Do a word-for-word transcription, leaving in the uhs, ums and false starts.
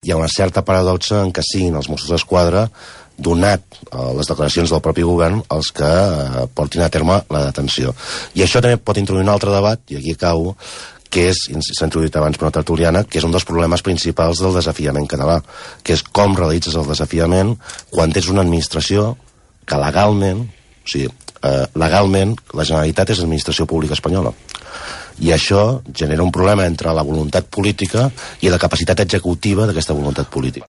hi ha una certa paradoxa en què siguin els Mossos d'Esquadra, donat eh, les declaracions del propi govern, els que eh, portin a terme la detenció. I això també pot introduir un altre debat, i aquí acabo, que és, s'ha introduït abans per una tertuliana, que és un dels problemes principals del desafiament català, que és com realitzes el desafiament quan tens una administració que legalment, o sigui, eh, legalment la Generalitat és l'administració pública espanyola. I això genera un problema entre la voluntat política i la capacitat executiva d'aquesta voluntat política.